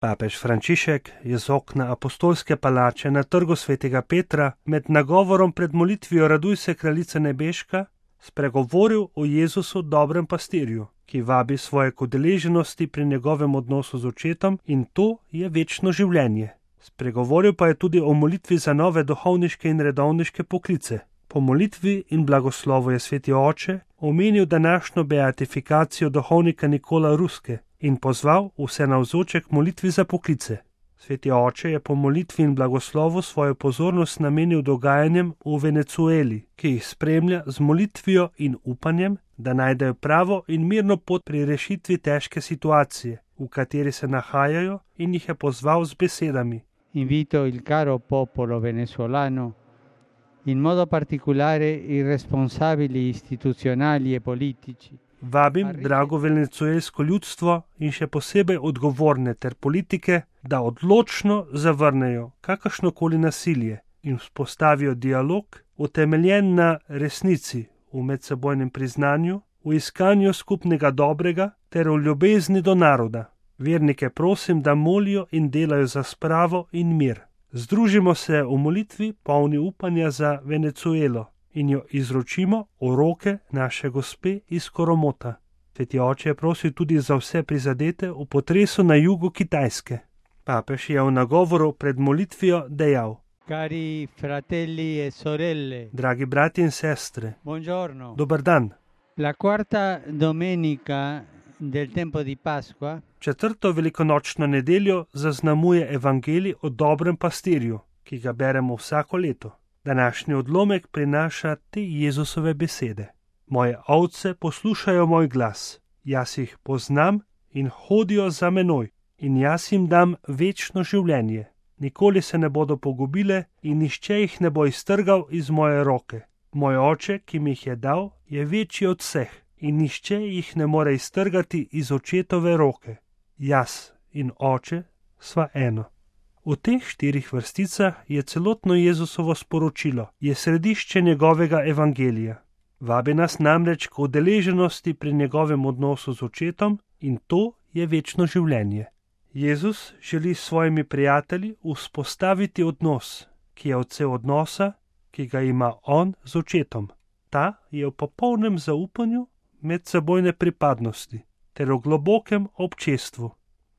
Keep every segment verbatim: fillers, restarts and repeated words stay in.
Papež Frančišek je z okna apostolske palače na trgu svetega Petra med nagovorom pred molitvijo Raduj se, kraljica nebeška, spregovoril o Jezusu, dobrem pastirju, ki vabi svoje k udeleženosti pri njegovem odnosu z očetom, in to je večno življenje. Spregovoril pa je tudi o molitvi za nove duhovniške in redovniške poklice. Po molitvi in blagoslovu je sveti oče omenil današnjo beatifikacijo duhovnika Nikola Ruske in pozval vse navzoče k molitvi za poklice. Sveti oče je po molitvi in blagoslovu svojo pozornost namenil dogajanjem v Venezueli, ki jih spremlja z molitvijo in upanjem, da najdejo pravo in mirno pot pri rešitvi težke situacije, v kateri se nahajajo, in jih je pozval z besedami: Invito il caro popolo venezuelano, in modo particolare i responsabili istituzionali e politici. Vabim drago venezuelsko ljudstvo in še posebej odgovorne ter politike, da odločno zavrnejo kakršnokoli nasilje in vzpostavijo dialog, utemeljen na resnici, v medsebojnem priznanju, v iskanju skupnega dobrega ter v ljubezni do naroda. Vernike prosim, da molijo in delajo za spravo in mir. Združimo se v molitvi polni upanja za Venezuelo in jo izročimo v roke naše gospe iz Koromota. Sveti oče je prosil tudi za vse prizadete v potresu na jugu Kitajske. Papež je v nagovoru pred molitvijo dejal: Cari fratelli e sorelle, dragi brati in sestre, buongiorno. Dober dan. La quarta domenica del tempo di Pasqua, Četrto velikonočno nedeljo zaznamuje evangelij o dobrem pastirju, ki ga beremo vsako leto. Današnji odlomek prinaša te Jezusove besede: Moje ovce poslušajo moj glas, jaz jih poznam in hodijo za menoj, in jaz jim dam večno življenje. Nikoli se ne bodo pogubile in nihče jih ne bo iztrgal iz moje roke. Moj oče, ki mi jih je dal, je večji od vseh in nihče jih ne more iztrgati iz očetove roke. Jaz in oče sva eno. V teh štirih vrsticah je celotno Jezusovo sporočilo, je središče njegovega evangelija. Vabi nas namreč k udeleženosti pri njegovem odnosu z očetom, in to je večno življenje. Jezus želi s svojimi prijatelji vzpostaviti odnos, ki je odsev odnosa, ki ga ima on z očetom. Ta je v popolnem zaupanju medsebojne pripadnosti ter v globokem občestvu.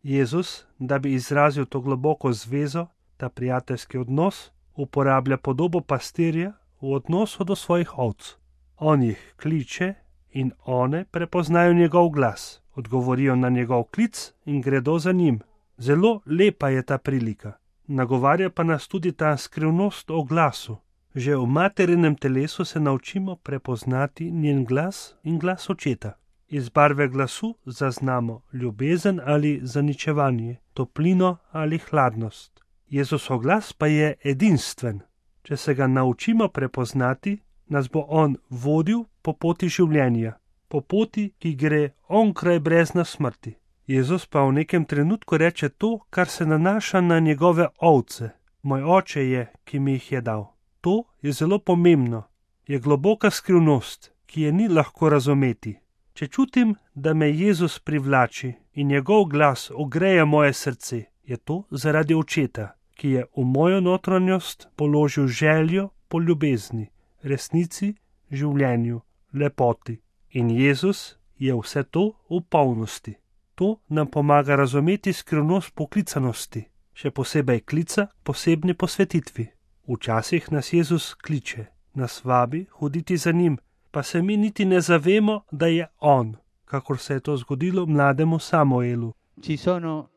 Jezus, da bi izrazil to globoko zvezo, ta prijateljski odnos, uporablja podobo pastirja v odnosu do svojih ovc. On jih kliče in one prepoznajo njegov glas, odgovorijo na njegov klic in gredo za njim. Zelo lepa je ta prilika. Nagovarja pa nas tudi ta skrivnost o glasu. Že v materinem telesu se naučimo prepoznati njen glas in glas očeta. Iz barve glasu zaznamo ljubezen ali zaničevanje, toplino ali hladnost. Jezusov glas pa je edinstven. Če se ga naučimo prepoznati, nas bo on vodil po poti življenja, po poti, ki gre onkraj brezna smrti. Jezus pa v nekem trenutku reče to, kar se nanaša na njegove ovce. Moj oče je, ki mi jih je dal. To je zelo pomembno. Je globoka skrivnost, ki je ni lahko razumeti. Če čutim, da me Jezus privlači in njegov glas ogreje moje srce, je to zaradi očeta, ki je v mojo notranjost položil željo po ljubezni, resnici, življenju, lepoti. In Jezus je vse to v polnosti. To nam pomaga razumeti skrivnost poklicanosti, še posebej klica posebni posvetitvi. Včasih nas Jezus kliče, nas vabi hoditi za njim, pa se mi niti ne zavemo, da je on, kakor se je to zgodilo mlademu Samuelu. Ci sono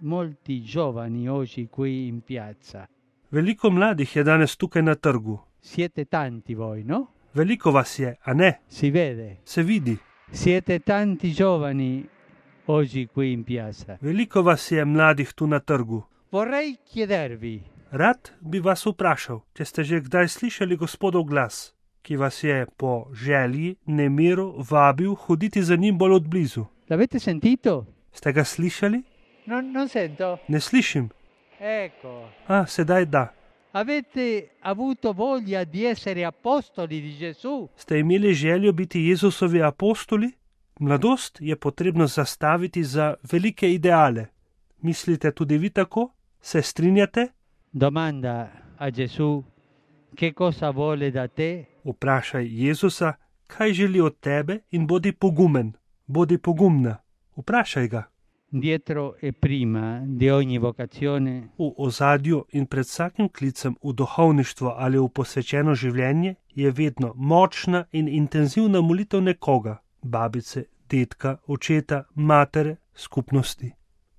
molti giovani oggi qui in piazza. Veliko mladih je danes tukaj na trgu. Siete tanti voi, no? Veliko vas je, a ne? Si vede. Se vidi. Siete tanti giovani oggi qui in piazza. Veliko vas je mladih tu na trgu. Vorrei chiedervi. Rad bi vas vprašal, če ste že kdaj slišali Gospodov glas, ki vas je po želji, nemiru vabil hoditi za njim bolj od blizu. L'avete sentito? Ste ga slišali? No, non sento. Ne slišim. Ecco. A, sedaj da. Avete avuto voglia di essere apostoli di Gesù? Ste imeli željo biti Jezusovi apostoli? Mladost je potrebno zastaviti za velike ideale. Mislite tudi vi tako? Se strinjate? Domanda a Gesù che cosa vuole da te. Vprašaj Jezusa, kaj želi od tebe in bodi pogumen, bodi pogumna. Vprašaj ga. Dietro e prima di ogni vocazione V ozadju in pred vsakim klicem v duhovništvo ali v posvečeno življenje je vedno močna in intenzivna molitev nekoga, babice, dedka, očeta, matere, skupnosti.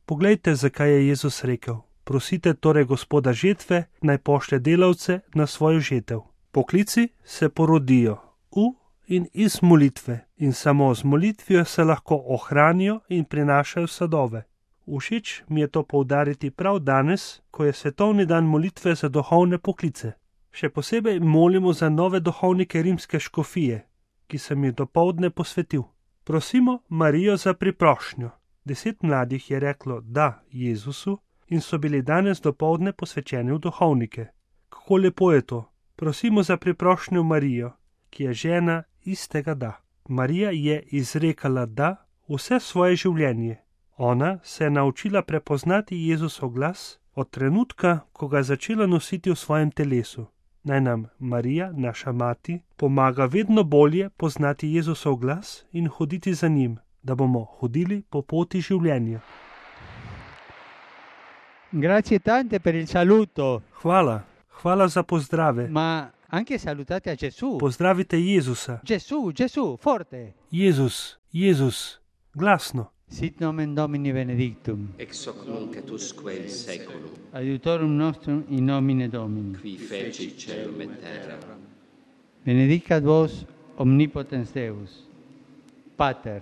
Poglejte, zakaj je Jezus rekel: prosite torej Gospoda žetve, naj pošlje delavce na svojo žetev. Poklici se porodijo v in iz molitve in samo z molitvijo se lahko ohranijo in prinašajo sadove. Všeč mi je to poudariti prav danes, ko je svetovni dan molitve za duhovne poklice. Še posebej molimo za nove duhovnike rimske škofije, ki sem jih dopoldne posvetil. Prosimo Marijo za priprošnjo. Deset mladih je reklo da Jezusu in so bili danes dopoldne posvečeni v duhovnike. Kako lepo je to. Prosimo za priprošnjo Marijo, ki je žena istega da. Marija je izrekala da vse svoje življenje. Ona se je naučila prepoznati Jezusov glas od trenutka, ko ga je začela nositi v svojem telesu. Naj nam Marija, naša mati, pomaga vedno bolje poznati Jezusov glas in hoditi za njim, da bomo hodili po poti življenja. Grazie tante per il saluto. Hvala, hvala za pozdrave. Ma anche salutate a Gesù. Pozdravite Jezusa. Gesù, Gesù, forte. Jezus, Jezus, glasno. Sit nomen Domini benedictum. Ex hoc nunc et usque in seculum. Aiutorum nostrum in nomine Domini. Qui feci caelum et terra. Benedicat vos omnipotens Deus, Pater,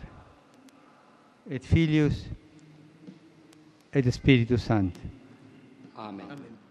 et Filius, et Spiritus Sancti. Amen. Amen.